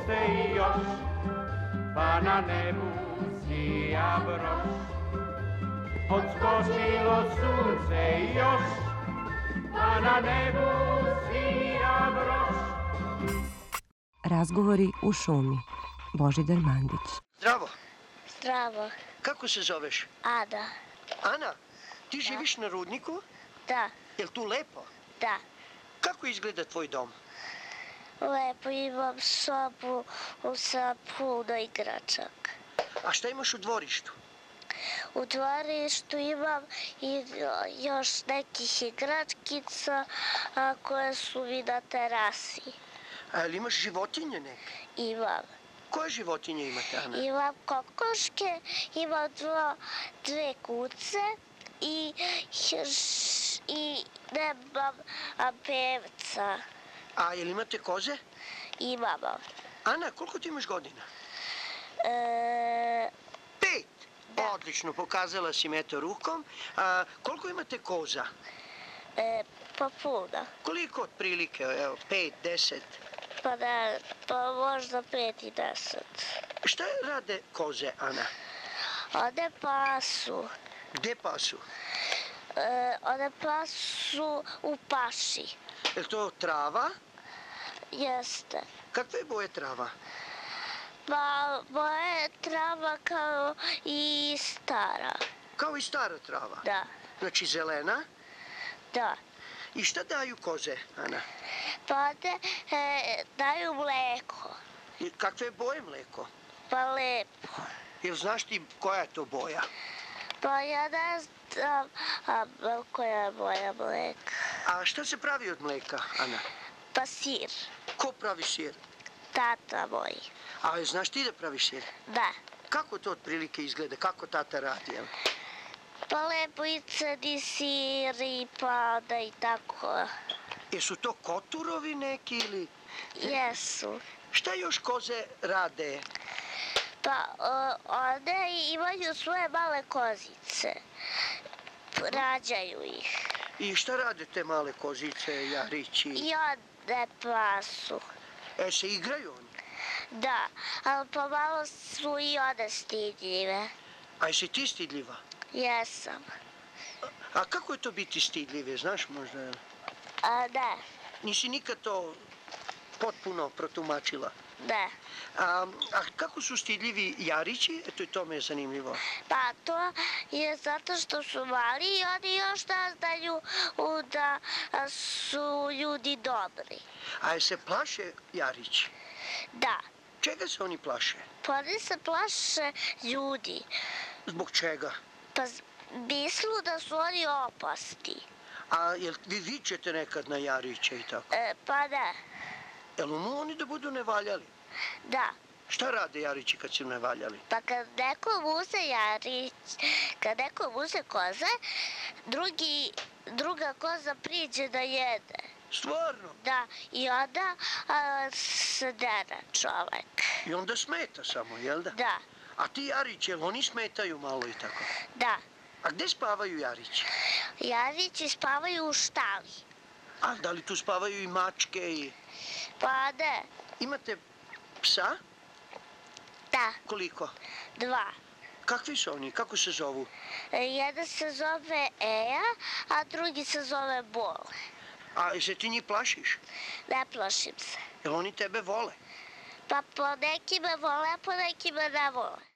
sunce i još, pa na nebu sija broš. Odskočilo sunce i još, pa na nebu sija broš. Razgovori u šumi. Božidar Mandić. Zdravo. Zdravo. Kako se zoveš? Ada. Ana, ti živiš na rudniku? Da. Jel tu lepo? Da. Kako izgleda tvoj dom? Lepo, imam sobu sa puno igračaka. A šta imaš u dvorištu? U dvorištu imam i još nekih igračkica koje su mi na terasi. A jel imaš životinje neke? Imam. Koje životinje imate, Ana? Imam kokoške, imam dve kuce i nemam pevca. A jel imate koze? Imamo. Ana, koliko ti imaš godina? 5. 5. Da. Odlično, pokazala si mi eto rukom. A koliko imate koza? Pa puno. Koliko otprilike? Evo, 5, 10? Pa možda 5 i 10. Šta rade koze, Ana? One pasu. Gde pasu? One pasu u paši. Je to trava? Jeste. Kakve je boje trava? Pa moja je trava kao i stara. Kao i stara trava? Da. Znači zelena? Da. I šta daju koze, Ana? Pa one daju mleko. I kakve je boje mleko? Pa lepo. Jel znaš ti koja je to boja? Pa ja ne znam koja je moja mleka. A šta se pravi od mleka, Ana? Pa sir. Ko pravi sir? Tata moj. A znaš ti da praviš sir? Da. Kako to otprilike izgleda? Kako tata radi? Jel? Pa lepo i crni sir i pada i tako. Jesu to koturovi neki ili... Jesu. Šta još koze rade? Pa one imaju svoje male kozice. Rađaju ih. I šta rade te male kozice, jarići? I one pasu. Se igraju oni? Da, ali pomalo su i one stidljive. A jesi ti stidljiva? Jesam. A kako je to biti stidljive, znaš možda? Ne. Nisi nikad to potpuno protumačila? Ne. A kako su stidljivi jarići? Eto i to me je zanimljivo. Pa to je zato što su mali i oni još ne znaju da su ljudi dobri. A se plaše jarići? Da. Čega se oni plaše? Pa oni se plaše ljudi. Zbog čega? Pa mislu da su oni opasni. A jel vi vičete nekad na jariće i tako? Pa ne. Jel umu oni da budu nevaljali? Da. Šta rade jarići kad su nevaljali? Pa kad nekom uze koze, druga koza priđe da jede. Stvarno? Da, i onda se dere čovek. I onda smeta samo, jel da? Da. A ti jarići, jel oni smetaju malo i tako? Da. A gde spavaju jarići? Jarići spavaju u štali. A da li tu spavaju i mačke i... Pa ne. Imate psa? Da. Koliko? 2. Kakvi su oni? Kako se zovu? Jedan se zove Eja, a drugi se zove Bol. A se ti njih plašiš? Ne plašim se. Jel oni tebe vole? Pa po nekima vole, a po nekima ne vole.